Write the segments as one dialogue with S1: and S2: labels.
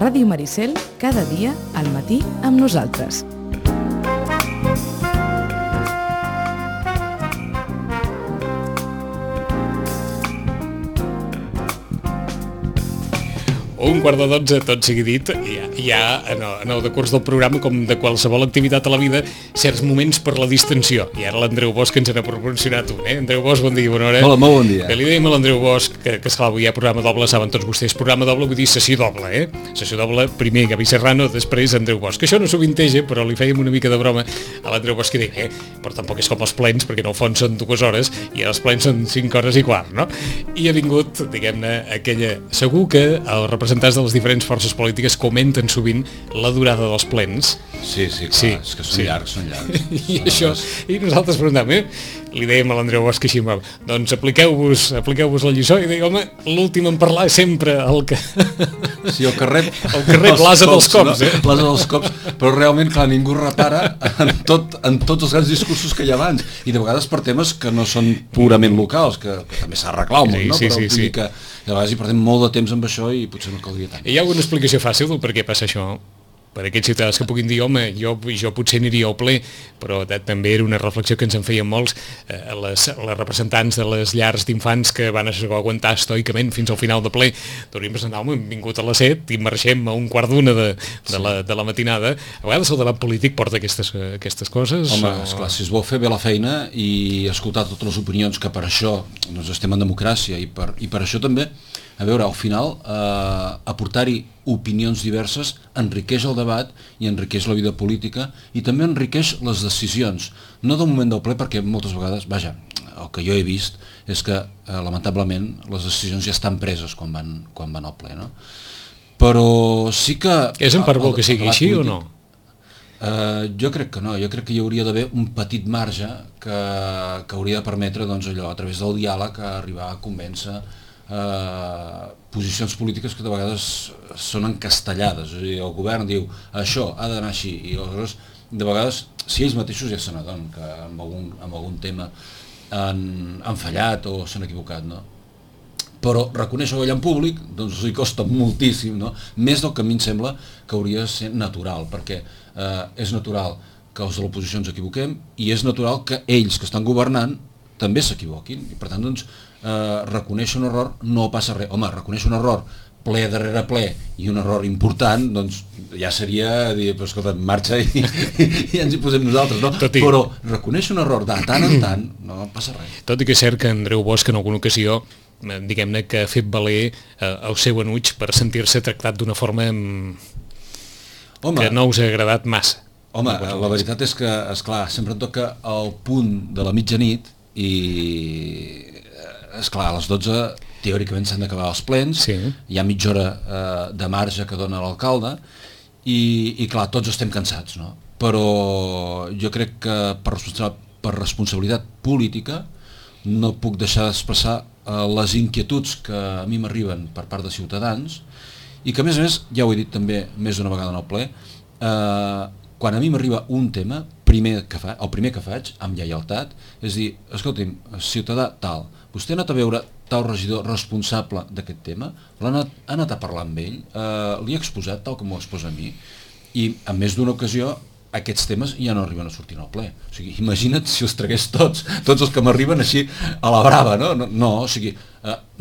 S1: Ràdio Maricel, cada dia al matí amb nosaltres.
S2: Un quart de 12, tot sigui dit, hi ha en el decurs del programa, com de qualsevol activitat a la vida, certs moments per la distensió. I ara l'Andreu Bosch ens n'ha proporcionat un. Andreu Bosch, bon dia, bona hora.
S3: Hola, molt bon dia.
S2: Bé, li dèiem a l'Andreu Bosch que esclar, avui hi ha programa doble, saben tots vostès, programa doble vull dir sessió doble, Sessió doble, primer Gavi Serrano, després Andreu Bosch. Que això no sovinteja, però li fèiem una mica de broma a l'Andreu Bosch que deia, però tampoc és com els plens, perquè en el fons són 2 hores i els plens són 5 hores i quart, no? I ha vingut, diguem-ne, aquella... Segur que els representants de les diferents forces polítiques comenten sovint la durada dels plens.
S3: Sí, clar, és que són llargs.
S2: I això, i nosaltres preguntàvem, li dèiem a l'Andreu Bosch així, doncs apliqueu-vos la lliçó, i deia, home, l'últim en parlar és sempre el que...
S3: Sí, el que rep
S2: l'asa dels cops,
S3: no? L'asa dels cops, però realment, clar, ningú repara en tots els grans discursos que hi ha abans, i de vegades per temes que no són purament locals, que també s'ha arreglat molt, no? Però vull dir que de vegades hi perdem molt de temps amb això i potser no caldria tant.
S2: Hi ha alguna explicació fàcil del per què passa això? Per aquests ciutadans que puguin dir, home, jo potser aniria al ple, però també era una reflexió que ens en feien molts, les representants de les llars d'infants que van aguantar estoicament fins al final de ple. Hauríem presentat, home, hem vingut a les 7 i marxem a 1:15 de la matinada. A vegades el debat polític porta aquestes coses.
S3: Home, esclar, si es vol fer bé la feina i escoltar totes les opinions, que per això doncs, estem en democràcia i per això també, a veure, al final, aportar-hi opinions diverses enriqueix el debat i enriqueix la vida política i també enriqueix les decisions. No del moment del ple, perquè moltes vegades, vaja, el que jo he vist és que, lamentablement, les decisions ja estan preses quan van al ple, no? Però sí que...
S2: És en part bo que sigui així o no?
S3: Jo crec que no, jo crec que hi hauria d'haver un petit marge que hauria de permetre, doncs, allò, a través del diàleg, arribar a convèncer posicions polítiques que de vegades són encastellades. És a dir, el govern diu això ha d'anar així i aleshores de vegades si ells mateixos ja se n'adonen que amb algun tema han fallat o s'han equivocat, no? Però reconèixer-ho allà en públic doncs li costa moltíssim, no? Més del que a mi em sembla que hauria de ser natural, perquè és natural que els de l'oposició ens equivoquem i és natural que ells que estan governant també s'equivoquin i per tant doncs reconèixer un error no passa res. Home, reconèixer un error ple darrere ple i un error important, doncs ja seria dir, però escolta, marxa i ens hi posem nosaltres, no? Però reconèixer un error de tant en tant no passa res.
S2: Tot i que és cert que Andreu Bosch en alguna ocasió, diguem-ne, que ha fet valer el seu enuig per sentir-se tractat d'una forma que no us ha agradat massa.
S3: Home, la veritat és que, esclar, sempre em toca el punt de la mitjanit i esclar, a les 12 teòricament s'han d'acabar els plens, sí. Hi ha mitja hora de marge que dona l'alcalde i clar, tots estem cansats, no? Però jo crec que per responsabilitat política no puc deixar d'expressar les inquietuds que a mi m'arriben per part de ciutadans i que a més, ja ho he dit també més d'una vegada en el ple, quan a mi m'arriba un tema, el primer que faig, amb lleialtat, és dir, escolti'm, ciutadà tal, vostè ha anat a veure tal regidor responsable d'aquest tema, ha anat a parlar amb ell, li ha exposat tal com m'ho exposa a mi, i en més d'una ocasió aquests temes ja no arriben a sortir al ple. O sigui, imagina't si els tragués tots els que m'arriben així a la brava, no? No, o sigui,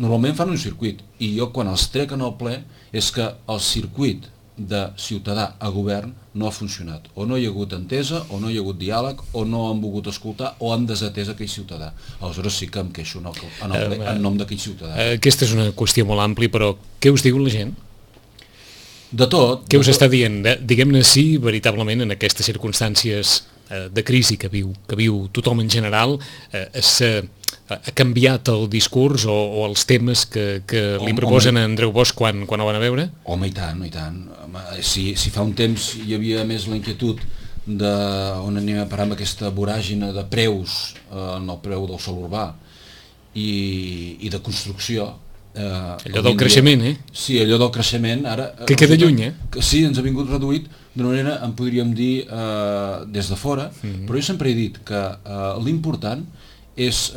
S3: normalment fan un circuit, i jo quan els trec en el ple és que el circuit de ciutadà a govern no ha funcionat, o no hi ha hagut entesa, o no hi ha hagut diàleg, o no han volgut escoltar, o han desatès aquell ciutadà. Aleshores sí que em queixo en nom d'aquell ciutadà.
S2: Aquesta és una qüestió molt àmplia, però què us diu la gent?
S3: De tot.
S2: Què us està dient? Diguem-ne si veritablement en aquestes circumstàncies de crisi que viu tothom en general ha canviat el discurs o els temes que li proposen a Andreu Bosch quan ho van a veure?
S3: Home, i tant, i tant. Si fa un temps hi havia més la inquietud on anem a parar amb aquesta voràgina de preus en el preu del sòl urbà i de construcció.
S2: Allò del creixement,
S3: Sí, allò del creixement ara...
S2: Que queda lluny,
S3: Sí, ens ha vingut reduït d'una manera, en podríem dir, des de fora, però jo sempre he dit que l'important és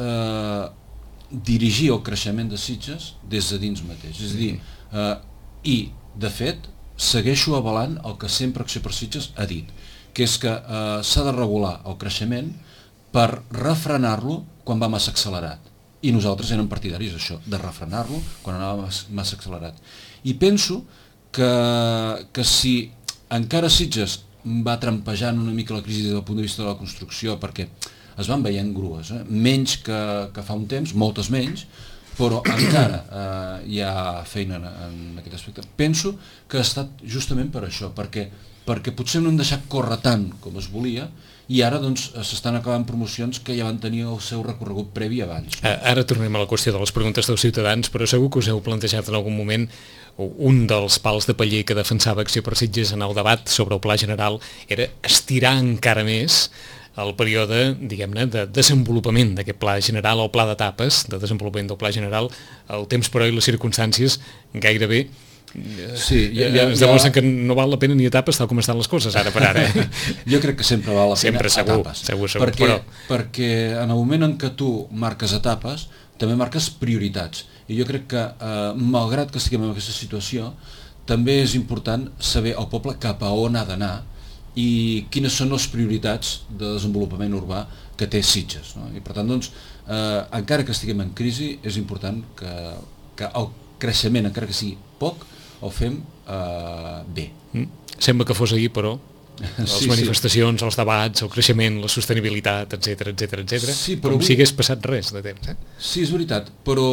S3: dirigir el creixement de Sitges des de dins mateix. És a dir, i, de fet, segueixo avalant el que sempre Acció per Sitges ha dit, que és que s'ha de regular el creixement per refrenar-lo quan va massa accelerat. I nosaltres érem partidaris d'això, de refrenar-lo quan anava massa accelerat. I penso que si encara Sitges va trampejant una mica la crisi des del punt de vista de la construcció, perquè es van veient grues, menys que fa un temps, moltes menys, però encara hi ha feina en aquest aspecte. Penso que ha estat justament per això, perquè potser no hem deixat córrer tant com es volia, i ara doncs s'estan acabant promocions que ja van tenir el seu recorregut previ abans.
S2: Ara tornem a la qüestió de les preguntes dels ciutadans, però segur que us heu plantejat en algun moment un dels pals de paller que defensava Acció per Sitges en el debat sobre el pla general era estirar encara més el període, diguem-ne, de desenvolupament d'aquest pla general, o pla d'etapes de desenvolupament del pla general. El temps, però, i les circumstàncies gairebé ens demostren que no val la pena ni etapes tal com estan les coses ara per ara.
S3: Jo crec que sempre val la pena etapes.
S2: Segur,
S3: perquè en el moment en què tu marques etapes, també marques prioritats. I jo crec que, malgrat que estiguem en aquesta situació, també és important saber el poble cap a on ha d'anar i quines són les prioritats de desenvolupament urbà que té Sitges. No? I per tant, doncs, encara que estiguem en crisi, és important que el creixement, encara que sigui poc, el fem bé.
S2: Sembla que fos ahir, però les manifestacions, els debats, el creixement, la sostenibilitat, etc.
S3: Sí,
S2: com si hagués passat res de temps.
S3: Sí, és veritat, però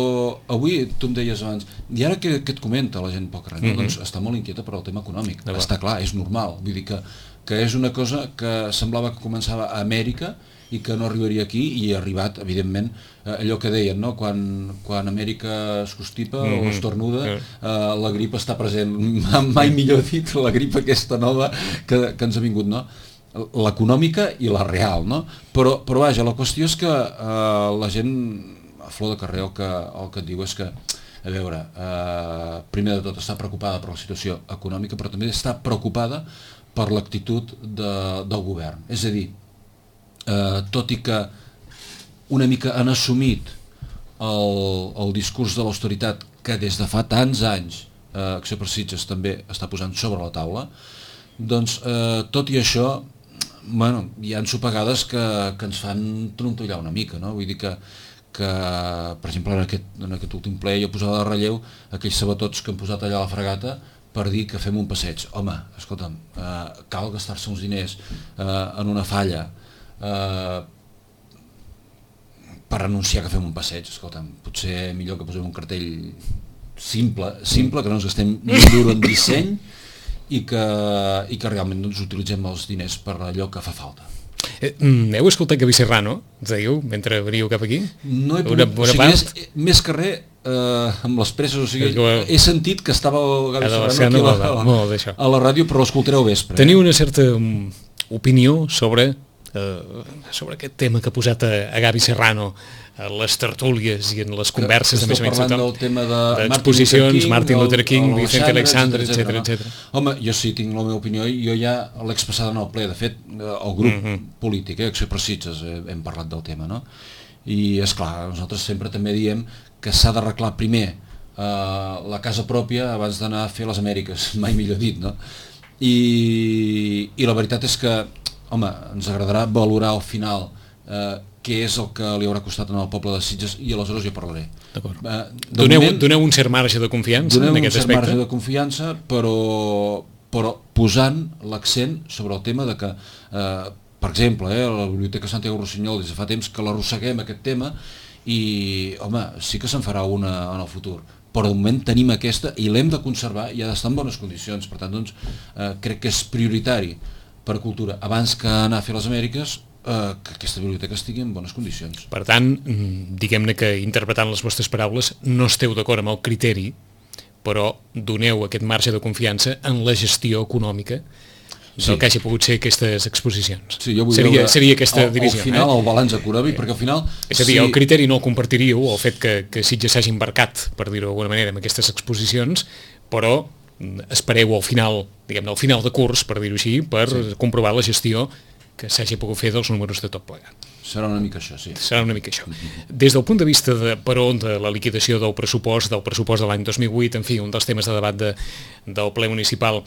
S3: avui, tu em deies abans, i ara que et comenta la gent poc res, doncs està molt inquieta per al tema econòmic. Està clar, és normal, vull dir que és una cosa que semblava que començava a Amèrica i que no arribaria aquí, i ha arribat, evidentment, allò que deien, no? Quan Amèrica es constipa o estornuda, la grip està present. Mai millor dit, la grip aquesta nova que ens ha vingut, no? L'econòmica i la real, no? Però vaja, la qüestió és que la gent a flor de carrer el que et diu és que, a veure, primer de tot està preocupada per la situació econòmica, però també està preocupada per l'actitud del govern. És a dir, tot i que una mica han assumit el discurs de l'austeritat que des de fa tants anys Acció per Sitges també està posant sobre la taula, doncs tot i això, bueno, hi ha ensopegades que ens fan trontollar una mica, no? Vull dir que per exemple, en aquest últim ple jo posava de relleu aquells sabatots que han posat allà a la fregata per dir que fem un passeig. Home, escolta'm, cal gastar-se uns diners en una falla per anunciar que fem un passeig. Escolta'm, potser millor que posem un cartell simple, que no ens gastem ni un duro en disseny i que realment doncs, utilitzem els diners per allò que fa falta.
S2: Heu escoltat Gaby Serrano, ens diu, mentre veníeu cap aquí?
S3: No he pogut, més que res, amb les presses, o sigui, he sentit que estava el Gaby Serrano aquí a la ràdio, però l'escoltareu vespre.
S2: Teniu una certa opinió sobre aquest tema que ha posat a Gaby Serrano a les tertúlies i en les converses de més o menys d'exposicions, Martin Luther King, Vicente Alexander, etc.
S3: Home, jo sí tinc la meva opinió i jo ja l'he expressada en el ple. De fet, el grup polític, Acció per Sitges, hem parlat del tema, no? I és clar, nosaltres sempre també diem que s'ha d'arreglar primer la casa pròpia abans d'anar a fer les Amèriques, mai millor dit, no? I la veritat és que, home, ens agradarà valorar al final què és el que li haurà costat al poble de Sitges i aleshores jo parlaré.
S2: D'acord. Doneu un cert marge de confiança en aquest aspecte?
S3: Doneu un cert marge de confiança, però posant l'accent sobre el tema de que, per exemple, la Biblioteca Santiago Rossinyol des de fa temps que l'arrosseguem aquest tema i, home, sí que se'n farà una en el futur, però de moment tenim aquesta i l'hem de conservar i ha d'estar en bones condicions. Per tant, doncs, crec que és prioritari per a cultura, abans que anar a fer les Amèriques, que aquesta biblioteca estigui en bones condicions.
S2: Per tant, diguem-ne que interpretant les vostres paraules no esteu d'acord amb el criteri, però doneu aquest marge de confiança en la gestió econòmica del que hagi pogut ser aquestes exposicions.
S3: Sí, jo vull
S2: seria aquesta divisió.
S3: Al final, el balanç econòmic, perquè al final...
S2: És a dir, el criteri no el compartiríeu, el fet que Sitges s'hagi embarcat, per dir-ho d'alguna manera, en aquestes exposicions, però espereu al final, diguem-ne, al final de curs, per dir-ho així, per comprovar la gestió que s'hagi pogut fer dels números de tot plegat.
S3: Serà una mica això, sí.
S2: Serà una mica això. Des del punt de vista de per on de la liquidació del pressupost de l'any 2008, en fi, un dels temes de debat del ple municipal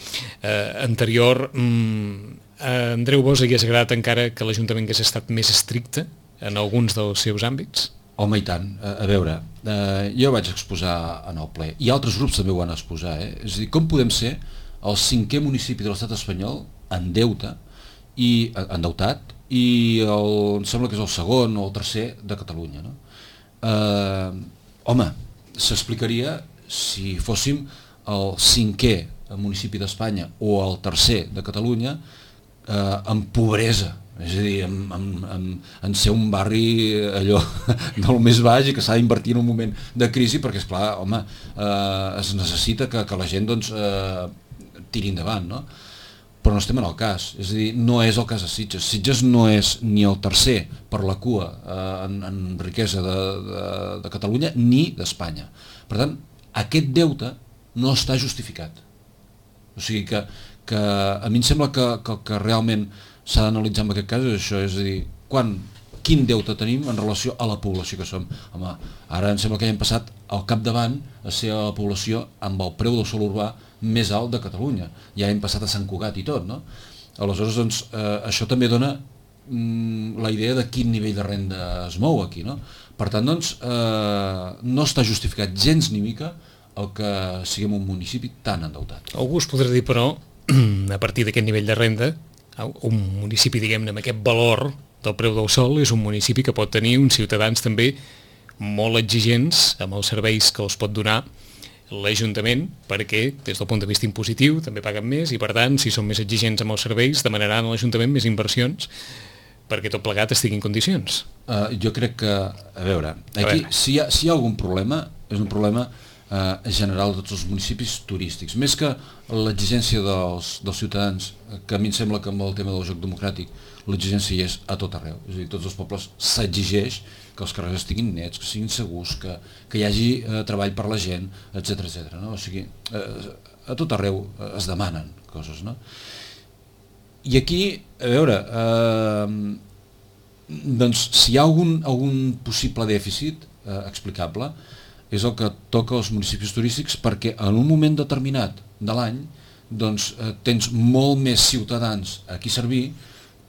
S2: anterior, a Andreu Bosch hagués agradat encara que l'Ajuntament hagués estat més estricte en alguns dels seus àmbits?
S3: Home, i tant. A veure, jo vaig exposar en el ple, i altres grups també ho van exposar, és a dir, com podem ser el 5è municipi de l'estat espanyol en deute, i endeutat, i em sembla que és el 2è o el 3è de Catalunya, no? Home, s'explicaria si fóssim el 5è municipi d'Espanya o el 3è de Catalunya amb pobresa, és a dir, en ser un barri allò del més baix i que s'ha d'invertir en un moment de crisi, perquè esclar, home, es necessita que la gent doncs tiri endavant, no? Però no estem en el cas, és a dir, no és el cas de Sitges. Sitges no és ni el 3è per la cua en riquesa de Catalunya ni d'Espanya. Per tant, aquest deute no està justificat. O sigui que a mi em sembla que realment s'ha d'analitzar en aquest cas és això, és a dir, quin deute tenim en relació a la població que som. Home, ara em sembla que hem passat al capdavant a ser la població amb el preu del sòl urbà més alt de Catalunya. Ja hem passat a Sant Cugat i tot, no? Aleshores, doncs, això també dona la idea de quin nivell de renda es mou aquí, no? Per tant, doncs, no està justificat gens ni mica el que siguem un municipi tan endeutat.
S2: Algú es podrà dir, però, a partir d'aquest nivell de renda, un municipi, diguem-ne, amb aquest valor del preu del sòl, és un municipi que pot tenir uns ciutadans també molt exigents amb els serveis que els pot donar l'Ajuntament, perquè des del punt de vista impositiu també paguen més i per tant si són més exigents amb els serveis demanaran a l'Ajuntament més inversions perquè tot plegat estigui en condicions.
S3: Jo crec que, a veure, aquí si hi ha algun problema, és un problema general de tots els municipis turístics, més que l'exigència dels ciutadans, que a mi em sembla que amb el tema del joc democràtic l'exigència hi és a tot arreu, és a dir, tots els pobles s'exigeix que els carrers estiguin nets, que siguin segurs, que hi hagi treball per la gent, etc, no? O sigui, a tot arreu es demanen coses, no? I aquí, a veure, doncs si hi ha algun possible dèficit explicable, és el que toca als municipis turístics perquè en un moment determinat de l'any doncs tens molt més ciutadans a qui servir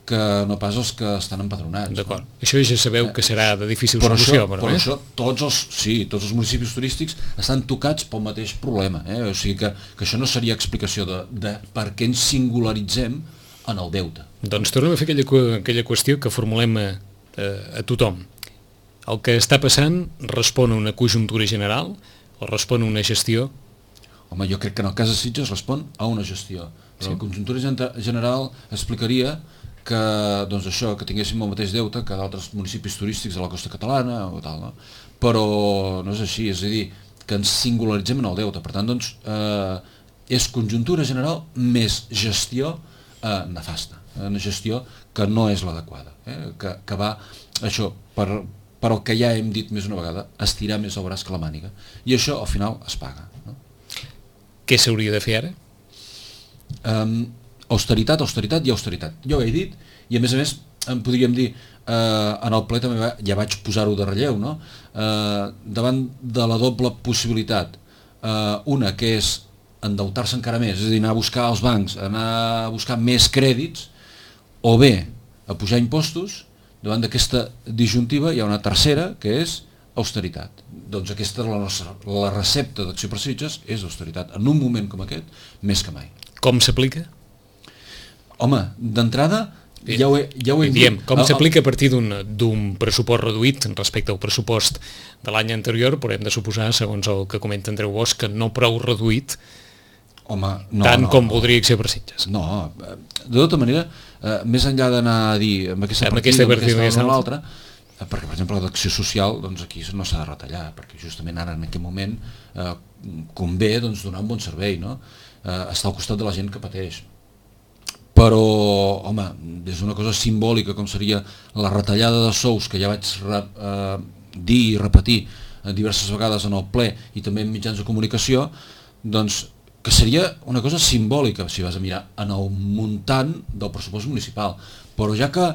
S3: que no pas els que estan empadronats.
S2: D'acord. No? Això ja sabeu que serà de difícil solució.
S3: Per això tots els municipis turístics estan tocats pel mateix problema. O sigui que això no seria explicació de per què ens singularitzem en el deute.
S2: Doncs tornem a fer aquella qüestió que formulem a tothom. El que està passant respon a una conjuntura general o respon a una gestió?
S3: Home, jo crec que en el cas de Sitges respon a una gestió. Però la conjuntura general explicaria que, doncs això, que tinguéssim el mateix deute que d'altres municipis turístics de la costa catalana o tal, no? Però no és així, és a dir, que ens singularitzem en el deute. Per tant, doncs, és conjuntura general més gestió nefasta, una gestió que no és l'adequada, que va, això, per el que ja hem dit més una vegada, estirar més el braç que la màniga. I això, al final, es paga. No?
S2: Què s'hauria de fer ara?
S3: Austeritat i austeritat. Jo ho he dit, i a més, podríem dir, en el ple també ja vaig posar-ho de relleu, no? Davant de la doble possibilitat, una que és endeutar-se encara més, és a dir, anar a buscar als bancs, anar a buscar més crèdits, o bé a pujar impostos. Davant d'aquesta disjuntiva hi ha una tercera, que és austeritat. Doncs aquesta, la recepta d'Acció per Sitges és austeritat. En un moment com aquest, més que mai.
S2: Com s'aplica?
S3: Home, d'entrada, ja ho hem
S2: dit. Com s'aplica a partir d'un pressupost reduït respecte al pressupost de l'any anterior, però hem de suposar, segons el que comenta Andreu Bosch, que no prou reduït, com voldria Acció per Sitges.
S3: No, de tota manera, més enllà d'anar a dir amb aquesta partida o amb l'altra, perquè per exemple l'Acció Social doncs aquí no s'ha de retallar, perquè justament ara en aquest moment convé doncs, donar un bon servei, no? Estar al costat de la gent que pateix. Però, home, des d'una cosa simbòlica com seria la retallada de sous, que ja vaig dir i repetir diverses vegades en el ple i també en mitjans de comunicació, doncs que seria una cosa simbòlica si vas a mirar en el muntant del pressupost municipal, però ja que,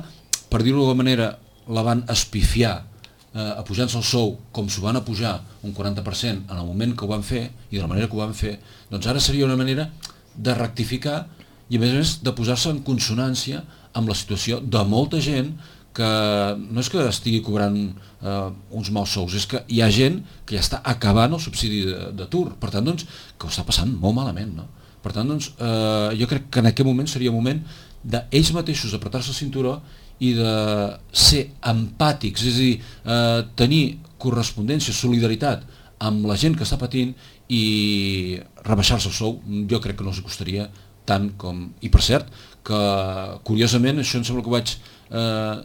S3: per dir-ho d'alguna manera, la van espifiar apujant-se el sou com s'ho van apujar un 40% en el moment que ho van fer i de la manera que ho van fer, doncs ara seria una manera de rectificar i a més de posar-se en consonància amb la situació de molta gent que no és que estigui cobrant uns mals sous, és que hi ha gent que ja està acabant el subsidi d'atur, per tant doncs que ho està passant molt malament, no? Per tant doncs jo crec que en aquest moment seria moment d'ells mateixos apretar-se el cinturó i de ser empàtics, és a dir, tenir correspondència, solidaritat amb la gent que està patint i rebaixar-se el sou, jo crec que no els costaria tant com... I per cert, que curiosament, això em sembla que ho vaig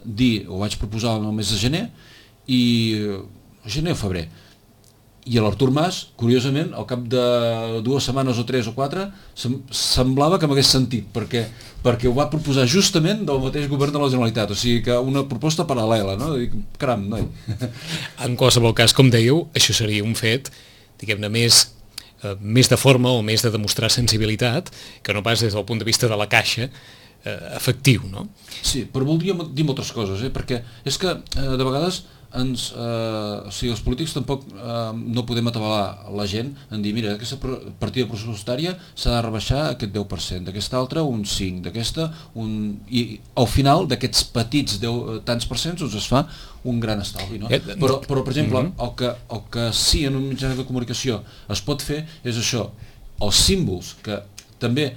S3: dir, ho vaig proposar el mes de gener, i gener o febrer, i l'Artur Mas, curiosament, al cap de 2 setmanes o 3 o 4, semblava que m'hagués sentit, perquè ho va proposar justament del mateix govern de la Generalitat, o sigui que una proposta paral·lela, no? Dic, caram, noi.
S2: En qualsevol cas, com dèieu, això seria un fet, diguem-ne, més de forma o més de demostrar sensibilitat, que no pas des del punt de vista de la caixa efectiu, no?
S3: Sí, però voldria dir moltes coses, perquè és que de vegades o sigui, els polítics tampoc no podem atabalar la gent en dir, mira, aquesta partida pressupostària s'ha de rebaixar aquest 10%, d'aquesta altra un 5%, d'aquesta un... I al final d'aquests petits tants percents doncs es fa un gran estalvi, no? Però per exemple, el que sí en un mitjà de comunicació es pot fer és això, els símbols que també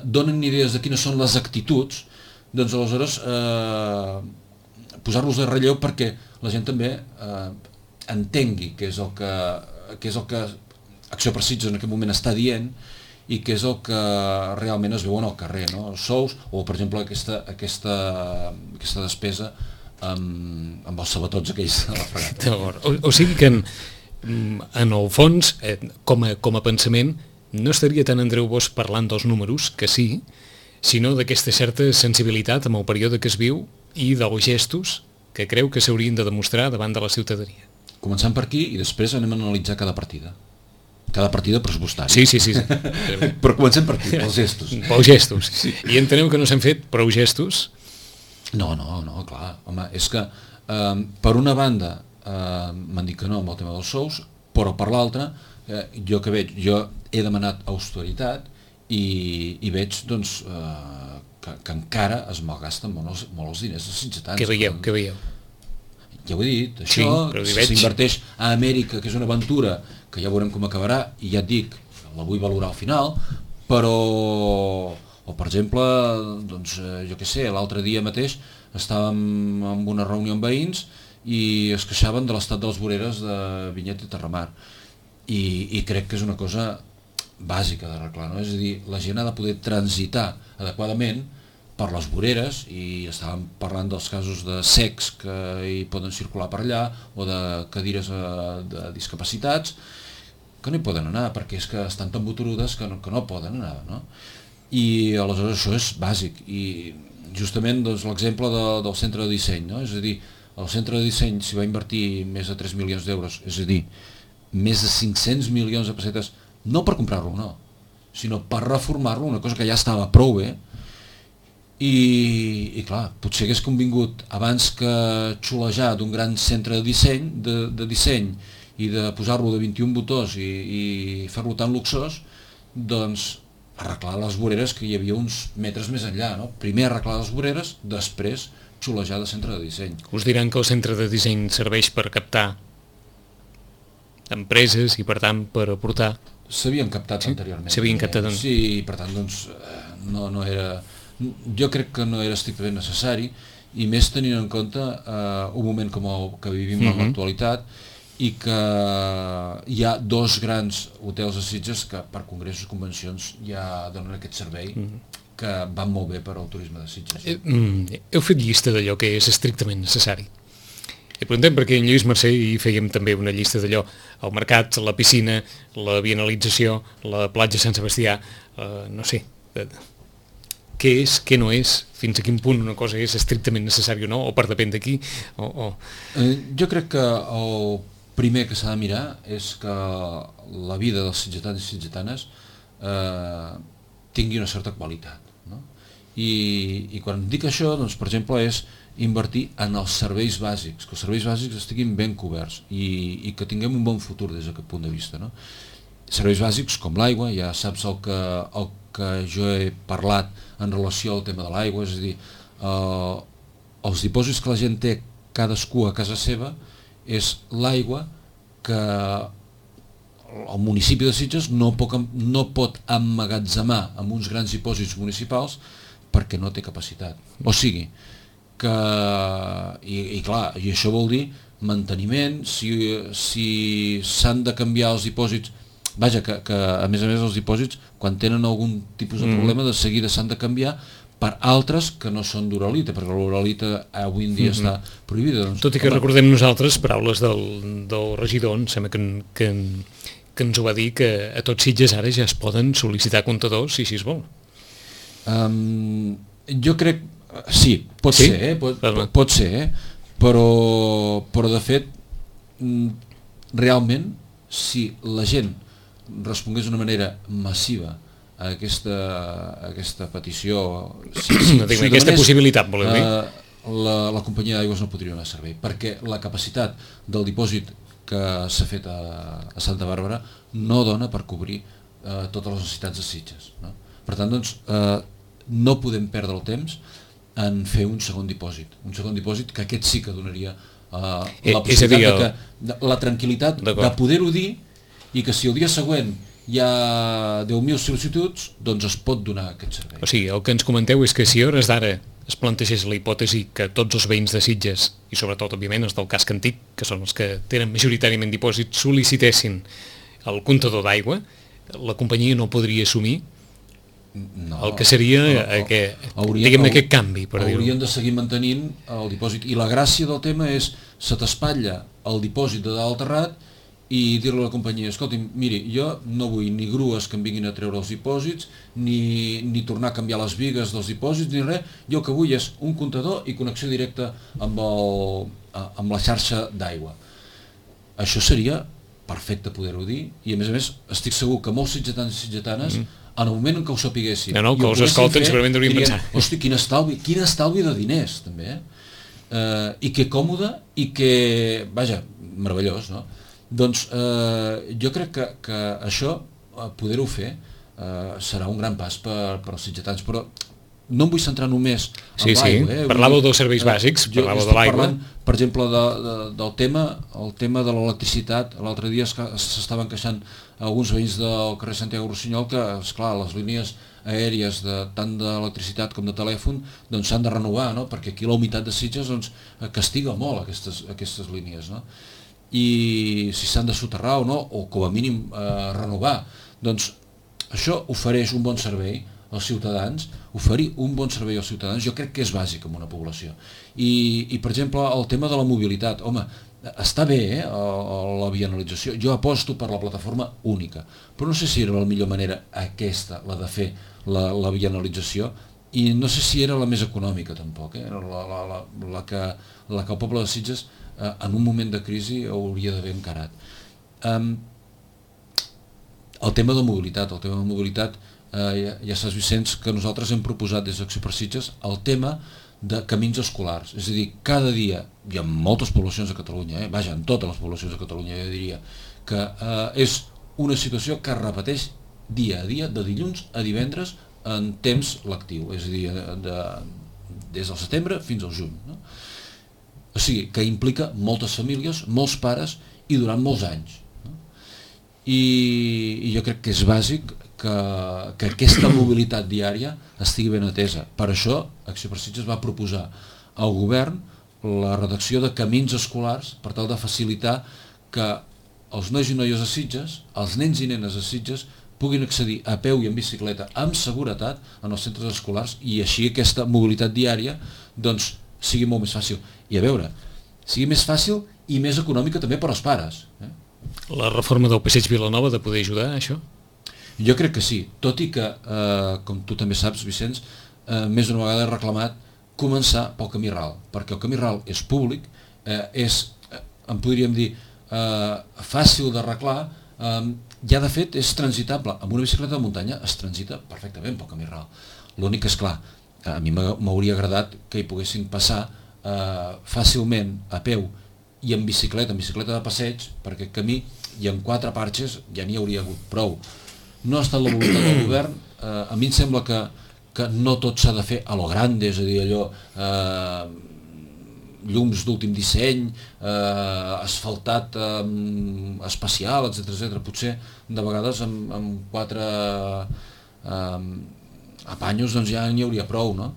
S3: donen idees de quines són les actituds, doncs aleshores posar-los de relleu perquè la gent també entengui què és el que Acció per Sitges en aquest moment està dient i què és el que realment es veu en el carrer, no? Els sous o, per exemple, aquesta despesa amb els sabatots aquells de la fregata.
S2: O sigui que en el fons, com a pensament, no estaria tant Andreu Bosch parlant dels números, que sí, sinó d'aquesta certa sensibilitat amb el període que es viu i dels gestos que creu que s'haurien de demostrar davant de la ciutadania.
S3: Començant per aquí i després anem a analitzar cada partida pressupostària.
S2: Sí.
S3: Però comencem per aquí, pels gestos.
S2: Pels gestos. Sí. I enteneu que no s'han fet prou gestos?
S3: No, clar. Home, és que per una banda m'han dit que no amb el tema dels sous, però per l'altra jo he demanat austeritat i veig doncs que encara es malgasten molt els diners dels sitgetans.
S2: Què veieu?
S3: Ja ho he dit, això s'inverteix a Amèrica, que és una aventura que ja veurem com acabarà, i ja et dic, la vull valorar al final, però, o per exemple, doncs, jo què sé, l'altre dia mateix estàvem en una reunió amb veïns i es queixaven de l'estat de les voreres de Vinyet i Terramar, i crec que és una cosa bàsica d'arreglar, no? És a dir, la gent ha de poder transitar adequadament per les voreres, i estàvem parlant dels casos de cecs que hi poden circular per allà, o de cadires de discapacitats que no hi poden anar perquè és que estan tan boturudes que no poden anar, no? I aleshores això és bàsic, i justament doncs, l'exemple del centre de disseny, no? És a dir, el centre de disseny s'hi va invertir més de 3 milions d'euros, és a dir, més de 500 milions de pessetes, no per comprar-lo, no, sinó per reformar-lo, una cosa que ja estava prou bé. I clar, potser hagués convingut abans que xulejar d'un gran centre de disseny i de posar-lo de 21 botons i fer-lo tan luxós, doncs arreglar les voreres que hi havia uns metres més enllà, no? Primer arreglar les voreres, després xulejar de centre de disseny.
S2: Us diran que el centre de disseny serveix per captar empreses i per tant per aportar...
S3: S'havien captat anteriorment.
S2: S'havien captat
S3: Sí, i per tant doncs no era... Jo crec que no era estrictament necessari, i més tenint en compte un moment com el que vivim en l'actualitat, i que hi ha 2 grans hotels de Sitges que per congressos i convencions ja donen aquest servei que van molt bé per al turisme de Sitges.
S2: Heu fet llista d'allò que és estrictament necessari. I preguntem perquè en Lluís Mercè hi fèiem també una llista d'allò, el mercat, la piscina, la bienalització, la platja Sant Sebastià, no sé, què és, què no és, fins a quin punt una cosa és estrictament necessària o no, o per depèn d'aquí,
S3: Jo crec que el primer que s'ha de mirar és que la vida dels sitgetans i sitgetanes tingui una certa qualitat, no? I quan dic això, doncs, per exemple, és invertir en els serveis bàsics, que els serveis bàsics estiguin ben coberts i que tinguem un bon futur des d'aquest punt de vista, no? Serveis bàsics com l'aigua, ja saps el que jo he parlat en relació al tema de l'aigua, és a dir, els dipòsits que la gent té cadascú a casa seva és l'aigua que el municipi de Sitges no pot emmagatzemar amb uns grans dipòsits municipals perquè no té capacitat. O sigui, que i clar, i això vol dir manteniment, si s'han de canviar els dipòsits, vaja, que a més els dipòsits quan tenen algun tipus de problema de seguida s'han de canviar per altres que no són d'uralita, perquè l'uralita avui en dia està prohibida. Doncs,
S2: tot i que recordem nosaltres paraules del regidor, em sembla que ens ho va dir, que a tots Sitges ara ja es poden sol·licitar comptadors si així es vol.
S3: Jo crec, sí, pot ser, pot ser, però de fet realment si la gent respongués d'una manera massiva a aquesta petició,
S2: aquesta possibilitat, voleu dir?
S3: La companyia d'aigües no podria donar servei, perquè la capacitat del dipòsit que s'ha fet a Santa Bàrbara no dona per cobrir totes les necessitats de Sitges, no? Per tant, doncs, no podem perdre el temps en fer un segon dipòsit que aquest sí que donaria la possibilitat la tranquil·litat de poder-ho dir, i que si el dia següent hi ha 10.000 sol·licituds, doncs es pot donar aquest servei.
S2: O sigui, el que ens comenteu és que si a hores d'ara es plantegés la hipòtesi que tots els veïns de Sitges, i sobretot, òbviament, els del casc antic, que són els que tenen majoritàriament dipòsits, sol·licitessin el comptador d'aigua, la companyia no podria assumir el que seria aquest canvi, per dir-ho.
S3: Haurien de seguir mantenint el dipòsit, i la gràcia del tema és se t'espatlla el dipòsit de dalt terrat i dir-li a la companyia, escolti, miri, jo no vull ni grues que em vinguin a treure els dipòsits, ni tornar a canviar les bigues dels dipòsits, ni res, jo el que vull és un comptador i connexió directa amb la xarxa d'aigua. Això seria perfecte poder-ho dir, i a més estic segur que molts sitgetans i sitgetanes en el moment en què ho sapiguessin
S2: que us escolten segurament haurien pensar,
S3: hosti, quin estalvi de diners també, i que còmode, i que, vaja, meravellós, no? Doncs jo crec que això, poder-ho fer, serà un gran pas per als sitgetans, però no em vull centrar només en l'aigua.
S2: Parlàveu dels serveis bàsics, parlàveu de l'aigua.
S3: Per exemple, del tema de l'electricitat. L'altre dia s'estaven queixant alguns veïns del carrer Santiago Rossinyol que, esclar, les línies aèries tant d'electricitat com de telèfon s'han de renovar, perquè aquí la humitat de Sitges castiga molt aquestes línies, i si s'han de soterrar o no, o com a mínim renovar, doncs això ofereix un bon servei als ciutadans. Oferir un bon servei als ciutadans jo crec que és bàsic en una població, i per exemple el tema de la mobilitat, home, està bé la vianalització, jo aposto per la plataforma única, però no sé si era la millor manera aquesta, la de fer la vianalització, i no sé si era la més econòmica tampoc, la que el poble de Sitges en un moment de crisi hauria d'haver encarat. El tema de mobilitat, ja saps, Vicenç, que nosaltres hem proposat des d'Acció per Sitges el tema de camins escolars, és a dir, cada dia, i en moltes poblacions de Catalunya, vaja, en totes les poblacions de Catalunya jo diria, que és una situació que es repeteix dia a dia, de dilluns a divendres, en temps lectiu, és a dir, des del setembre fins al juny, no? O sigui, que implica moltes famílies, molts pares i durant molts anys, no? I jo crec que és bàsic que aquesta mobilitat diària estigui ben atesa. Per això Acció per Sitges va proposar al govern la redacció de camins escolars per tal de facilitar que els nois i noies de Sitges, els nens i nenes de Sitges, puguin accedir a peu i en bicicleta amb seguretat en els centres escolars, i així aquesta mobilitat diària sigui molt més fàcil. I a veure, sigui més fàcil i més econòmica també per als pares.
S2: La reforma del Passeig Vilanova de poder ajudar a això?
S3: Jo crec que sí, tot i que, com tu també saps, Vicenç, més d'una vegada he reclamat començar pel camí ral, perquè el camí ral és públic, en podríem dir, fàcil d'arreglar, ja de fet és transitable. Amb una bicicleta de muntanya es transita perfectament pel camí ral. L'únic que, esclar, a mi m'hauria agradat que hi poguessin passar fàcilment a peu i en bicicleta de passeig, per aquest camí, i en 4 parxes ja n'hi hauria hagut prou. No ha estat la voluntat del govern. A mi em sembla que no tot s'ha de fer a lo grande, és a dir, allò llums d'últim disseny, asfaltat especial, etc. Potser de vegades amb 4 apanyos doncs ja n'hi hauria prou, no?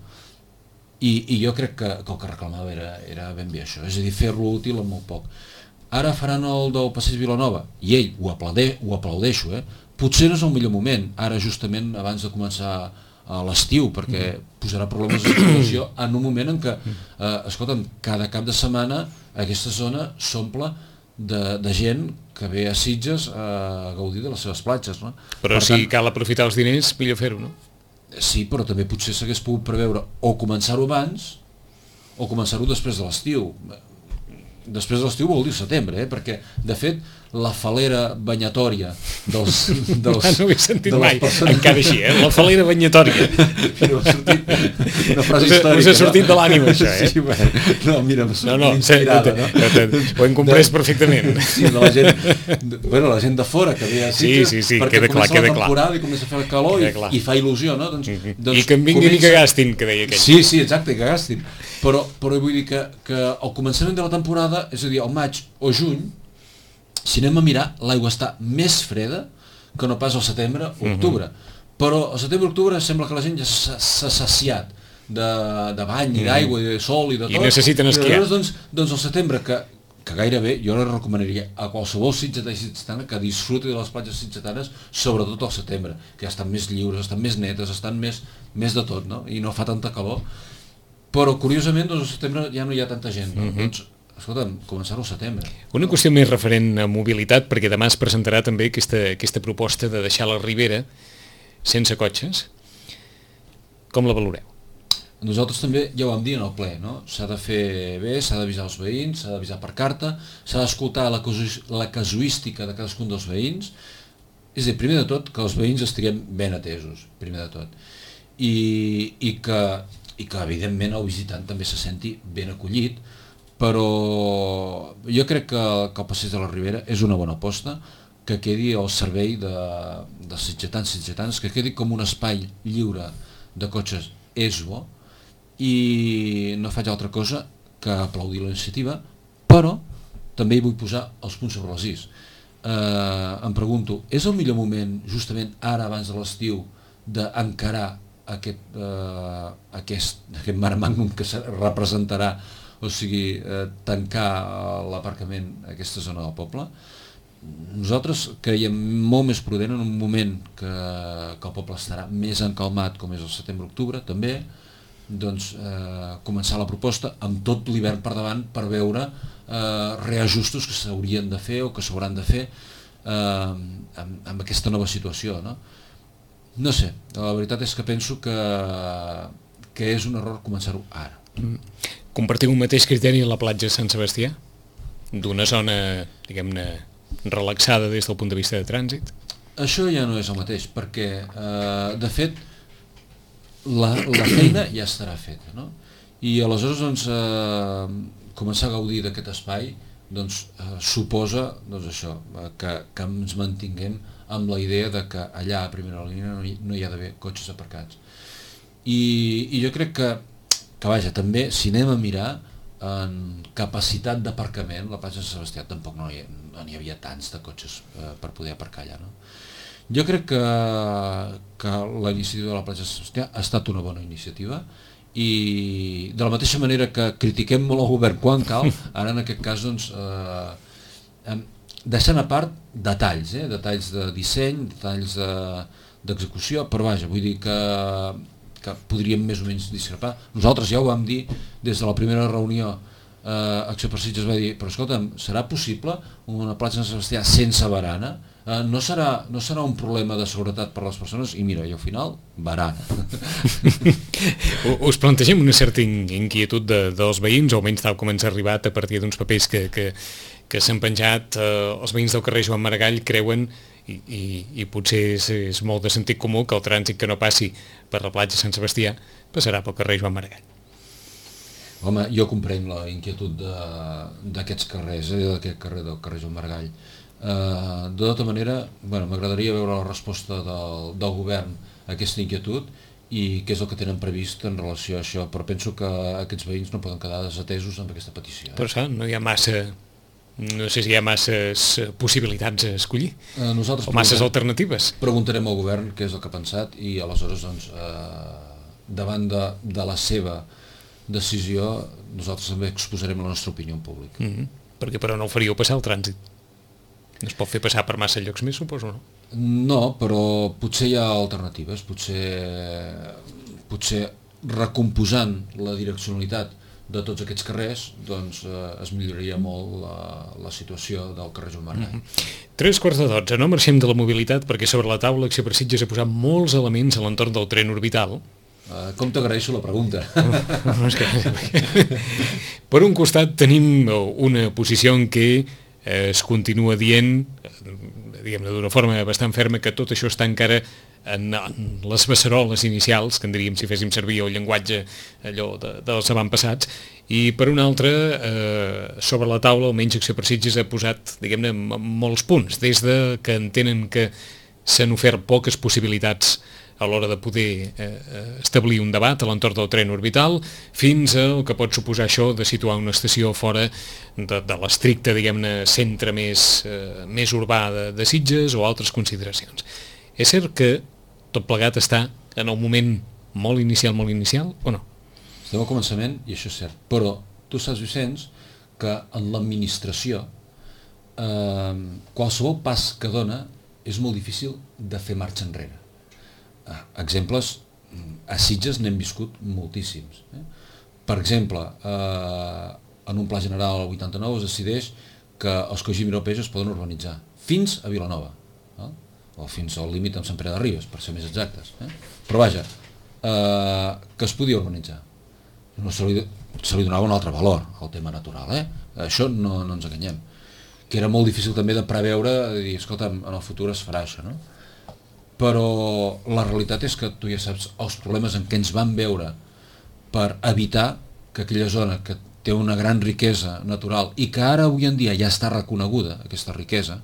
S3: I jo crec que el que reclamava era ben bé això, és a dir, fer-lo útil amb molt poc. Ara faran el del Passeig Vilanova, i ell ho aplaudeixo, potser no és el millor moment, ara justament abans de començar a l'estiu, perquè posarà problemes de circulació en un moment en què, escolta'm, cada cap de setmana aquesta zona s'omple de gent que ve a Sitges a gaudir de les seves platges, no?
S2: Però si cal aprofitar els diners, millor fer-ho, no?
S3: Sí, però també potser s'hagués pogut preveure o començar-ho abans o començar-ho després de l'estiu. Després de l'estiu vol dir setembre, perquè, de fet, la falera banyatòria dels
S2: no ho he sentit mai, encara així, la falera banyatòria.
S3: Però ha sortit una frase històrica.
S2: Us ha sortit de l'ànima, això,
S3: Sí, bueno, no, mira, m'ha sortit inspirada, no?
S2: Ho hem comprès perfectament.
S3: Sí, de la gent de fora que ve a Sitges, perquè comença la temporada i comença a fer el calor i fa il·lusió, no?
S2: I que en vinguin i que gastin, que deia aquell.
S3: Sí, exacte, que gastin. Però vull dir que al començament de la temporada, és a dir, al maig o juny, si anem a mirar, l'aigua està més freda que no pas al setembre o octubre. Però al setembre o octubre sembla que la gent ja s'ha saciat de bany i d'aigua i de sol i de tot.
S2: I necessiten esquiar.
S3: I doncs al setembre, que gairebé jo recomanaria a qualsevol sitgetà i sitgetana que disfruti de les platges sitgetanes, sobretot al setembre, que ja estan més lliures, estan més netes, estan més de tot, no? I no fa tanta calor. Però curiosament doncs al setembre ja no hi ha tanta gent, no? Doncs escolta'm, començar-ho al setembre.
S2: Una qüestió més referent a mobilitat, perquè demà es presentarà també aquesta proposta de deixar la Ribera sense cotxes. Com la valoreu?
S3: Nosaltres també ja ho vam dir en el ple, no? S'ha de fer bé, s'ha d'avisar els veïns, s'ha d'avisar per carta, s'ha d'escoltar la casuística de cadascun dels veïns. És a dir, primer de tot, que els veïns estiguem ben atesos, primer de tot. I que evidentment el visitant també se senti ben acollit, però jo crec que el Passeig de la Ribera és una bona aposta, que quedi al servei dels sitgetans, que quedi com un espai lliure de cotxes és bo, i no faig altra cosa que aplaudir la iniciativa, però també hi vull posar els punts sobre les is. Em pregunto, és el millor moment, justament ara abans de l'estiu, d'encarar aquest mare magnum que representarà, o sigui, tancar l'aparcament a aquesta zona del poble? Nosaltres creiem molt més prudent en un moment que el poble estarà més encalmat, com és el setembre-octubre, també, doncs començar la proposta amb tot l'hivern per davant per veure reajustos que s'haurien de fer o que s'hauran de fer amb aquesta nova situació, no? No sé, la veritat és que penso que és un error començar-ho ara.
S2: Compartiu un mateix criteri a la platja de Sant Sebastià? D'una zona, diguem-ne, relaxada des del punt de vista de trànsit?
S3: Això ja no és el mateix, perquè, de fet, la feina ja estarà feta, no? I aleshores, doncs, començar a gaudir d'aquest espai, doncs, suposa, doncs, això, que ens mantinguem amb la idea de que allà a primera línia no hi ha d'haver cotxes aparcats. I jo crec que vaja, també, si anem a mirar en capacitat d'aparcament, la platja de Sant Sebastià tampoc no n'hi havia tants de cotxes per poder aparcar allà, no? Jo crec que la iniciativa de la platja de Sant Sebastià ha estat una bona iniciativa, i de la mateixa manera que critiquem molt el govern quan cal, ara en aquest cas doncs deixant a part detalls, detalls de disseny, detalls d'execució, però vaja, vull dir que podríem més o menys discrepar. Nosaltres ja ho vam dir des de la primera reunió, Acció per Sitges va dir, però escolta'm, serà possible una platja de Sant Sebastià sense barana? No serà un problema de seguretat per a les persones? I mira, i al final, barana.
S2: Us plantegem una certa inquietud dels veïns, o almenys tal com ens ha arribat a partir d'uns papers que s'han penjat, els veïns del carrer Joan Maragall creuen, i potser és molt de sentit comú, que el trànsit que no passi per la platja de Sant Sebastià passarà pel carrer Joan Maragall.
S3: Home, jo comprenc la inquietud d'aquests carrers, d'aquest carrer del carrer Joan Maragall. De tota manera, m'agradaria veure la resposta del govern a aquesta inquietud i què és el que tenen previst en relació a això, però penso que aquests veïns no poden quedar desatesos amb aquesta petició.
S2: Però clar, no hi ha massa... No sé si hi ha masses possibilitats a escollir, o masses alternatives.
S3: Preguntarem al govern què és el que ha pensat i aleshores, doncs, davant de la seva decisió, nosaltres també exposarem la nostra opinió en públic.
S2: Perquè però no ho faríeu passar el trànsit. No es pot fer passar per massa llocs més, suposo, no?
S3: No, però potser hi ha alternatives, potser recomposant la direccionalitat de tots aquests carrers, doncs es milloraria molt la situació del carrer Joan Maragall.
S2: 11:45, no marxem de la mobilitat perquè sobre la taula Acció per Sitges ha posat molts elements a l'entorn del tren orbital.
S3: Com t'agraeixo la pregunta.
S2: Per un costat tenim una posició en què es continua dient, diguem-ne d'una forma bastant ferma, que tot això està encara en les beceroles inicials, que en diríem si féssim servir el llenguatge allò dels avantpassats, i per una altra, sobre la taula, almenys Acció per Sitges ha posat, diguem-ne, molts punts, des de que entenen que s'han ofert poques possibilitats a l'hora de poder establir un debat a l'entorn del tren orbital, fins al que pot suposar això de situar una estació fora de l'estricte, diguem-ne, centre més urbà de Sitges o altres consideracions. És cert que tot plegat està en el moment molt inicial, o no?
S3: Estem al començament, i això és cert, però tu saps, Vicenç, que en l'administració qualsevol pas que dona és molt difícil de fer marxa enrere. Exemples, a Sitges n'hem viscut moltíssims. Per exemple, en un pla general al 89 es decideix que els Coix i Miró Peix es poden urbanitzar fins a Vilanova, o fins al límit amb Sant Pere de Ribes, per ser més exactes. Però vaja, que es podia urbanitzar. No se li donava un altre valor al tema natural, això no ens enganyem. Que era molt difícil també de preveure, de dir, escolta, en el futur es farà això, no? Però la realitat és que tu ja saps els problemes en què ens vam veure per evitar que aquella zona que té una gran riquesa natural i que ara avui en dia ja està reconeguda, aquesta riquesa,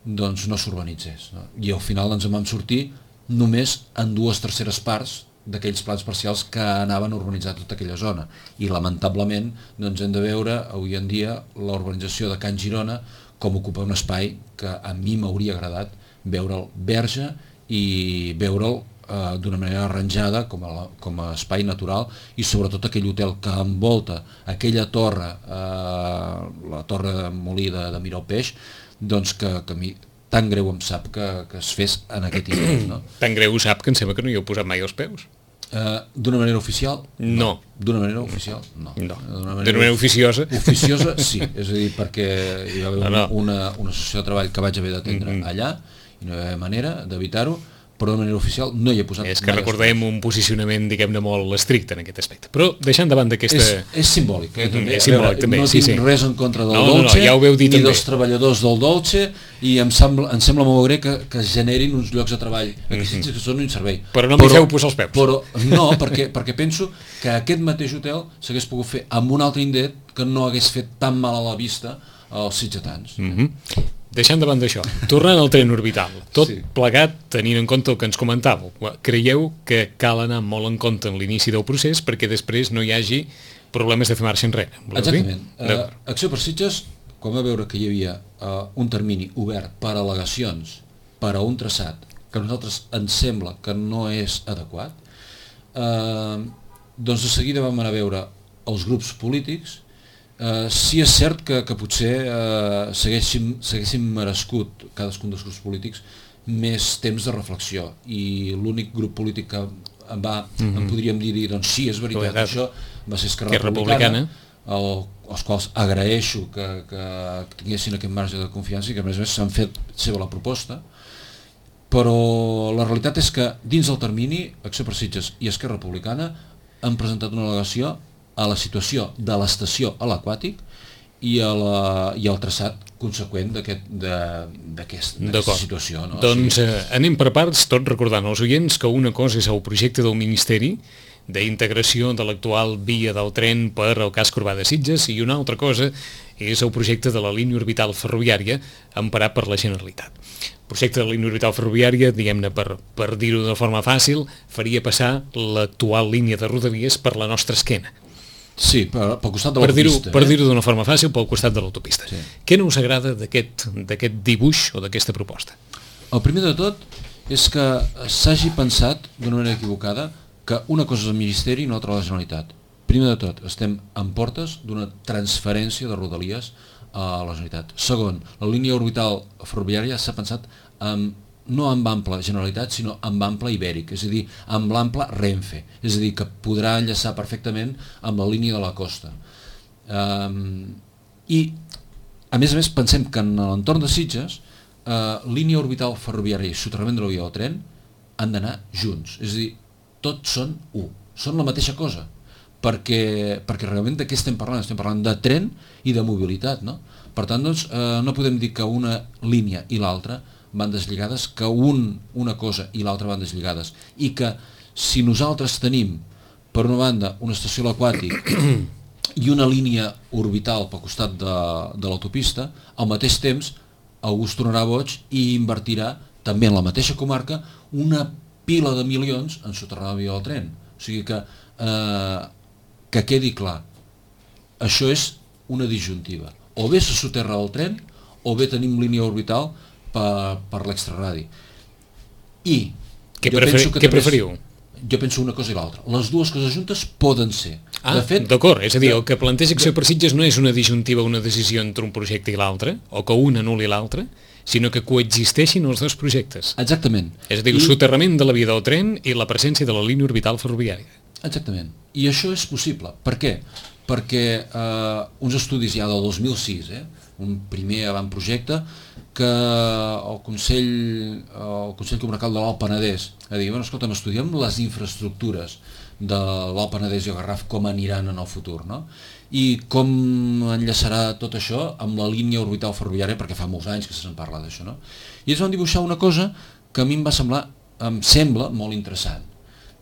S3: doncs no s'urbanitzés. No? I al final ens en vam sortir només en 2/3 parts d'aquells plans parcials que anaven a urbanitzar tota aquella zona. I lamentablement doncs hem de veure avui en dia la urbanització de Can Girona com ocupa un espai que a mi m'hauria agradat veure'l verge i veure'l d'una manera arranjada com a espai natural, i sobretot aquell hotel que envolta aquella torre, la torre de Molí de Miró Peix, doncs que a mi tan greu em sap que es fes en aquest indret. No?
S2: Tan greu sap que em sembla que no hi heu posat mai els peus.
S3: D'una manera oficial?
S2: No.
S3: D'una manera oficial? No.
S2: D'una manera oficiosa?
S3: Oficiosa, sí. És a dir, perquè hi va haver una associació de treball que vaig haver d'atendre allà i no hi va haver manera d'evitar-ho, però de manera oficial no hi he posat mai.
S2: És que recordem un posicionament, diguem-ne, molt estricte en aquest aspecte. Però deixant davant d'aquesta...
S3: És simbòlic, també.
S2: És simbòlic, també.
S3: No tinc res en contra del Dolce,
S2: ja ho veu dir
S3: ni
S2: també.
S3: dels treballadors del Dolce, i em sembla molt greu que es generin uns llocs de treball que són un servei.
S2: Però no m'hi feu posar els peus.
S3: Però no, perquè penso que aquest mateix hotel s'hagués pogut fer amb un altre indret que no hagués fet tan mal a la vista als sitgetans.
S2: Deixant davant d'això, tornant al tren orbital, tot plegat tenint en compte el que ens comentàveu, creieu que cal anar molt en compte en l'inici del procés perquè després no hi hagi problemes de fer marxa enrere?
S3: Exactament. Acció per Sitges, quan va veure que hi havia un termini obert per al·legacions per a un traçat que a nosaltres ens sembla que no és adequat, doncs de seguida vam anar a veure els grups polítics. Sí és cert que potser s'haguessin merescut cadascun dels grups polítics més temps de reflexió, i l'únic grup polític que em podríem dir doncs sí, és veritat, això va ser Esquerra Republicana, als quals agraeixo que tinguessin aquest marge de confiança i que a més s'han fet seva la proposta, però la realitat és que dins del termini Acció per Sitges i Esquerra Republicana han presentat una al·legació a la situació de l'estació a l'Aquàtic i al traçat conseqüent d'aquesta situació. No?
S2: Doncs anem per parts, tot recordant als oients que una cosa és el projecte del Ministeri d'integració de l'actual via del tren per al casc urbà de Sitges, i una altra cosa és el projecte de la línia orbital ferroviària emparat per la Generalitat. El projecte de la línia orbital ferroviària, diguem-ne, per dir-ho de forma fàcil, faria passar l'actual línia de Rodalies per la nostra esquena.
S3: Sí, pel costat de l'autopista.
S2: Per dir-ho d'una forma fàcil, pel costat de l'autopista.
S3: Sí.
S2: Què no us agrada d'aquest dibuix o d'aquesta proposta?
S3: El primer de tot és que s'hagi pensat d'una manera equivocada que una cosa és el Ministeri i una altra la Generalitat. Primer de tot, estem en portes d'una transferència de Rodalies a la Generalitat. Segon, la línia orbital ferroviària s'ha pensat no amb ample Generalitat, sinó amb ample Ibèric, és a dir, amb l'ample Renfe, és a dir, que podrà enllaçar perfectament amb la línia de la costa. I, a més, pensem que en l'entorn de Sitges, línia orbital ferroviària i soterrament de la via del tren han d'anar junts, és a dir, tots són u, són la mateixa cosa, perquè realment de què estem parlant? Estem parlant de tren i de mobilitat, no? Per tant, doncs, no podem dir que una línia i l'altra van deslligades, que una cosa i l'altra van deslligades, i que si nosaltres tenim, per una banda, una estació a l'aquàtic i una línia orbital pel costat de l'autopista, al mateix temps algú es tornarà boig i invertirà també en la mateixa comarca una pila de milions en soterrar la via del tren. O sigui que quedi clar, això és una disjuntiva. O bé se soterra el tren, o bé tenim línia orbital per l'extraradi. I
S2: què preferiu?
S3: Jo penso una cosa i l'altra. Les dues coses juntes poden ser.
S2: D'acord, és a dir, el que planteja Acció per Sitges no és una disjuntiva, una decisió entre un projecte i l'altre, o que un anul·li l'altre, sinó que coexisteixin els dos projectes.
S3: Exactament.
S2: És a dir, el soterrament de la via del tren i la presència de la línia orbital ferroviària.
S3: Exactament. I això és possible. Per què? Perquè uns estudis ja del 2006, un primer avantprojecte, que el Consell Comarcal de l'Alt Penedès ha dit, bueno, escolta'm, estudiem les infraestructures de l'Alt Penedès i el Garraf, com aniran en el futur, no? I com enllaçarà tot això amb la línia orbital ferroviària, perquè fa molts anys que se'n parla d'això, no? I ells van dibuixar una cosa que a mi em sembla molt interessant,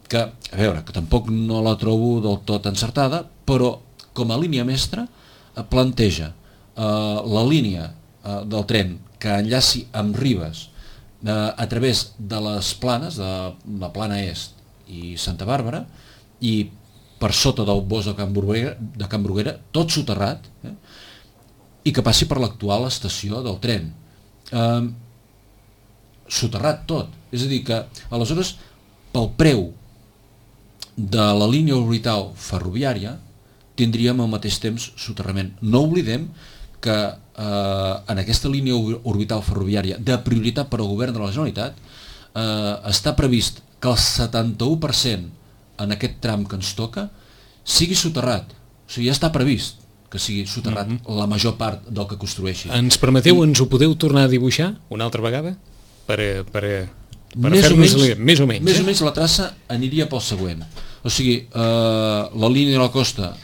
S3: que, a veure, que tampoc no la trobo del tot encertada, però com a línia mestra planteja la línia del tren que enllaci amb Ribes a través de les planes, de la plana est i Santa Bàrbara, i per sota del bosc de Can Bruguera, tot soterrat, i que passi per l'actual estació del tren. Soterrat tot. És a dir que, aleshores, pel preu de la línia orbital ferroviària, tindríem al mateix temps soterrament. No oblidem que en aquesta línia orbital ferroviària de prioritat per al govern de la Generalitat està previst que el 71% en aquest tram que ens toca sigui soterrat. O sigui, ja està previst que sigui soterrat la major part del que construeixi.
S2: Ens permeteu, ens ho podeu tornar a dibuixar una altra vegada? Per fer-nos més o menys.
S3: Més o menys la traça aniria pel següent. O sigui, la línia de la costa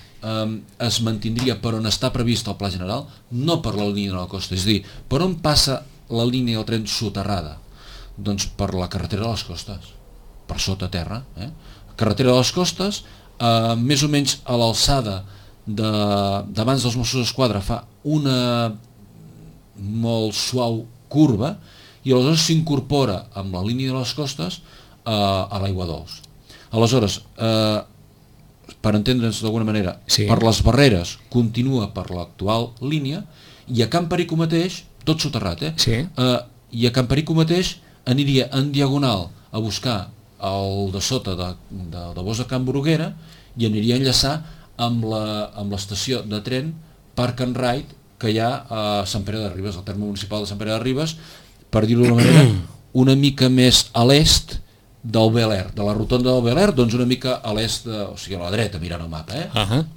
S3: es mantindria per on està previst el pla general, no per la línia de la costa. És a dir, per on passa la línia del tren soterrada? Doncs per la carretera de les costes, per sota terra. Carretera de les costes, més o menys a l'alçada d'abans dels Mossos d'Esquadra fa una molt suau curva i aleshores s'incorpora amb la línia de les costes a l'aigua dolç. Aleshores, per entendre'ns d'alguna manera, sí, per les Barreres continua per l'actual línia i a Can Perico mateix, tot soterrat,
S2: sí,
S3: i a Can Perico mateix aniria en diagonal a buscar el de sota de bosc de Can Bruguera i aniria a enllaçar amb l'estació de tren Park and Ride que hi ha a Sant Pere de Ribes, al terme municipal de Sant Pere de Ribes, per dir-ho d'una manera, una mica més a l'est del Bel Air, de la rotonda del Bel Air, doncs una mica a l'est, o sigui a la dreta mirant el mapa,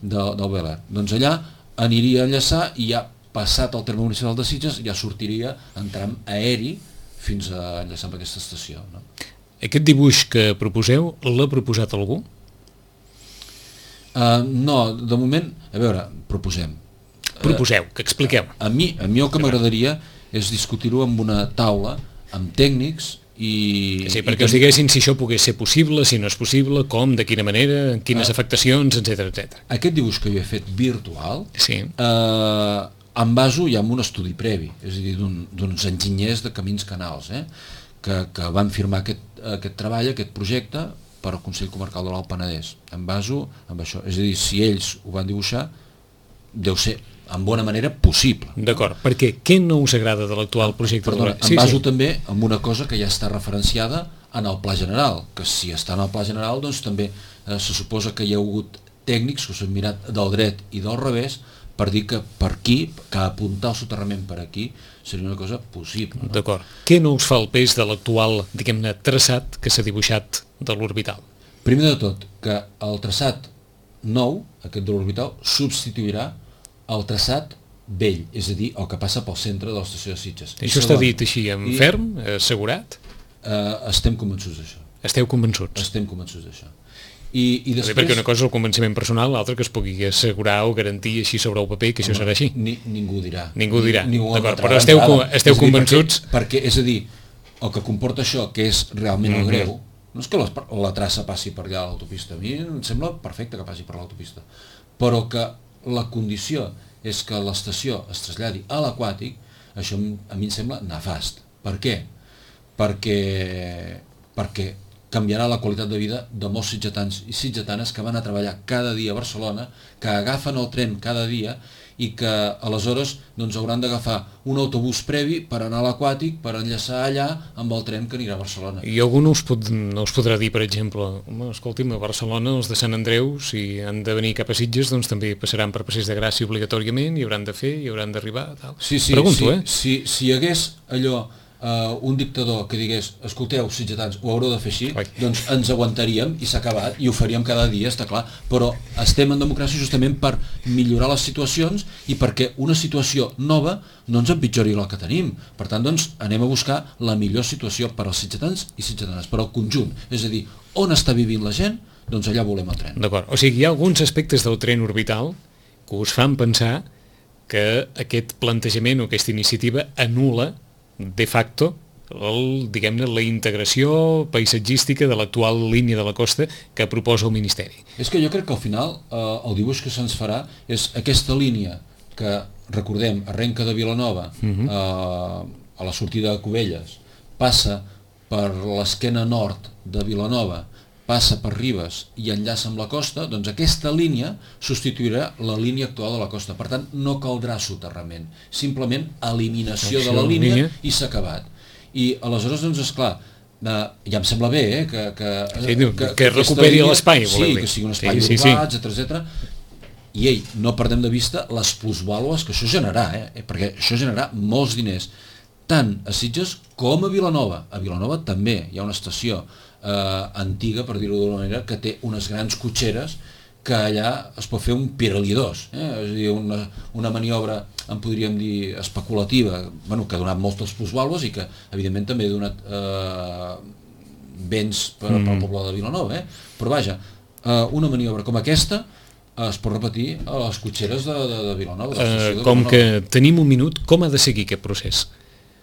S3: del Bel Air. Doncs allà aniria a enllaçar i ja passat el terme municipal de Sitges ja sortiria en tram aeri fins a enllaçar amb aquesta estació. No?
S2: Aquest dibuix que proposeu, l'ha proposat algú?
S3: No, de moment, a veure, proposem.
S2: Proposeu, que expliqueu.
S3: A mi el que m'agradaria és discutir-ho amb una taula, amb tècnics
S2: Sí, perquè us diguessin si això pogués ser possible, si no és possible, com, de quina manera, quines afectacions, etc.
S3: Aquest dibuix que jo he fet virtual,
S2: sí.
S3: Em baso ja en un estudi previ, és a dir, d'uns enginyers de camins canals, que van firmar aquest treball, aquest projecte, per al Consell Comarcal de l'Alt Penedès. Em baso en això, és a dir, si ells ho van dibuixar, deu ser en bona manera possible.
S2: D'acord, perquè què no us agrada de l'actual projecte?
S3: Perdona, em baso també en una cosa que ja està referenciada en el Pla General, que si està en el Pla General, doncs també se suposa que hi ha hagut tècnics que s'han mirat del dret i del revés per dir que per aquí, que apuntar el soterrament per aquí seria una cosa possible. No?
S2: D'acord. Què no us fa el pes de l'actual, diguem-ne, traçat que s'ha dibuixat de l'orbital?
S3: Primer de tot, que el traçat nou, aquest de l'orbital, substituirà el traçat vell, és a dir, el que passa pel centre de l'estació de Sitges.
S2: Això està dit així en ferm, assegurat?
S3: Estem convençuts d'això.
S2: Esteu convençuts?
S3: Estem convençuts d'això. I després...
S2: Perquè una cosa és el convenciment personal, l'altra que es pugui assegurar o garantir així sobre el paper que això serà així.
S3: Ningú ho dirà.
S2: Ningú ho dirà, d'acord, però esteu convençuts...
S3: Perquè, és a dir, el que comporta això, que és realment el greu, no és que la traça passi per allà a l'autopista, a mi em sembla perfecte que passi per l'autopista, però que la condició és que l'estació es traslladi a l'aquàtic, això a mi em sembla nefast. Per què? Perquè canviarà la qualitat de vida de molts sitgetans i sitgetanes que van a treballar cada dia a Barcelona, que agafen el tren cada dia i que aleshores doncs, hauran d'agafar un autobús previ per anar a l'aquàtic, per enllaçar allà amb el tren que anirà a Barcelona.
S2: I algú no us podrà dir, per exemple, escolti'm, a Barcelona els de Sant Andreu, si han de venir cap a Sitges, doncs també passaran per Passeig de Gràcia obligatòriament, hi hauran de fer, hi hauran d'arribar, tal.
S3: Sí,
S2: pregunto,
S3: si hi hagués allò... un dictador que digués, escolteu, sitgetans, ho haureu de fer així, doncs ens aguantaríem i s'ha acabat i ho faríem cada dia, està clar, però estem en democràcia justament per millorar les situacions i perquè una situació nova no ens empitjori la que tenim. Per tant, doncs, anem a buscar la millor situació per als sitgetans i sitgetanes, per al conjunt, és a dir, on està vivint la gent, doncs allà volem el tren.
S2: D'acord, o sigui, hi ha alguns aspectes del tren orbital que us fan pensar que aquest plantejament o aquesta iniciativa anul·la de facto diguem-ne, la integració paisatgística de l'actual línia de la costa que proposa el Ministeri.
S3: És que jo crec que al final el dibuix que se'ns farà és aquesta línia que, recordem, arrenca de Vilanova a la sortida de Cubelles, passa per l'esquena nord de Vilanova, passa per Ribes i enllaça amb la costa, doncs aquesta línia substituirà la línia actual de la costa. Per tant, no caldrà soterrament, simplement eliminació de la línia i s'ha acabat. I aleshores, doncs, esclar, ja em sembla bé,
S2: que recuperi l'espai,
S3: sí, que sigui un espai urbà, etc. I no perdem de vista les plusvàlues que això generarà, perquè això generarà molts diners, tant a Sitges com a Vilanova. A Vilanova també hi ha una estació antiga, per dir-ho d'una manera, que té unes grans cotxeres que allà es pot fer un Pirelli 2, és a dir, una maniobra, en podríem dir, especulativa, que ha donat moltes plusvàlues i que, evidentment, també ha donat béns per al poble de Vilanova, però vaja, una maniobra com aquesta es pot repetir a les cotxeres de Vilanova.
S2: Com que tenim un minut, com ha de seguir aquest procés?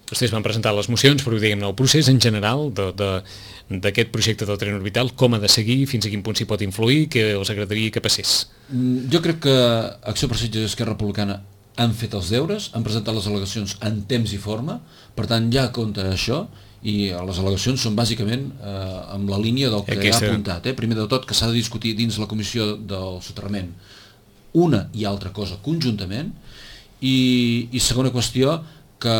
S2: Vostès van presentar les mocions, però diguem-ne, el procés en general d'aquest projecte del tren orbital, com ha de seguir, fins a quin punt s'hi pot influir, que els agradaria que passés?
S3: Jo crec que Acció per Sitges i Esquerra Republicana han fet els deures, han presentat les al·legacions en temps i forma, per tant ja compta això, i les al·legacions són bàsicament amb la línia del que ha apuntat. Primer de tot, que s'ha de discutir dins la comissió del soterrament una i altra cosa conjuntament, i segona qüestió, que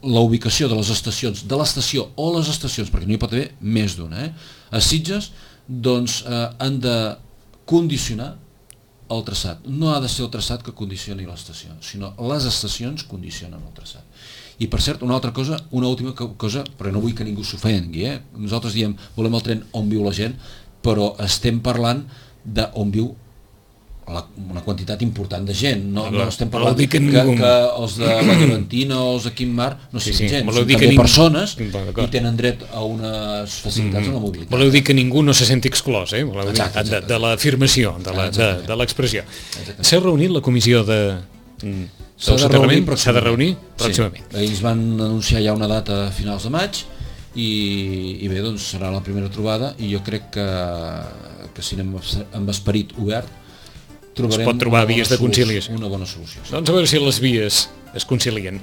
S3: la ubicació de les estacions, de l'estació o les estacions, perquè no hi pot haver més d'una, a Sitges, doncs han de condicionar el traçat. No ha de ser el traçat que condicioni l'estació, sinó les estacions condicionen el traçat. I per cert, una altra cosa, una última cosa, però no vull que ningú s'ofengui, nosaltres diem, volem el tren on viu la gent, però estem parlant d'on viu una quantitat important de gent, no estem parlant que els de la Llevantina o els de Quim Mar no siguin gent, són també persones i tenen dret a unes facilitats en la mobilitat.
S2: Voleu dir que ningú no se senti exclòs, de l'afirmació, de l'expressió. S'ha reunit la comissió de del soterrament s'ha de reunir pròximament.
S3: Sí. Ells van anunciar ja una data a finals de maig i bé, doncs serà la primera trobada i jo crec que si anem amb esperit obert trobarem
S2: es pot trobar vies de conciliació.
S3: Una bona solució. Sí.
S2: Doncs a veure si les vies es concilien.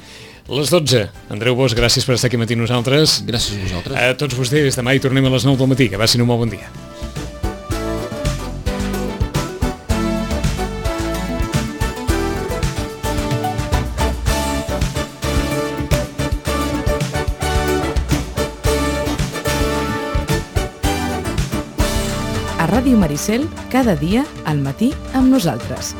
S2: Les 12. Andreu Bosch, gràcies per estar aquí matí nosaltres.
S3: Gràcies a vosaltres.
S2: A tots vostès, demà hi tornem a les 9 del matí. Que passin un molt bon dia.
S1: A Ràdio Maricel, cada dia al matí amb nosaltres.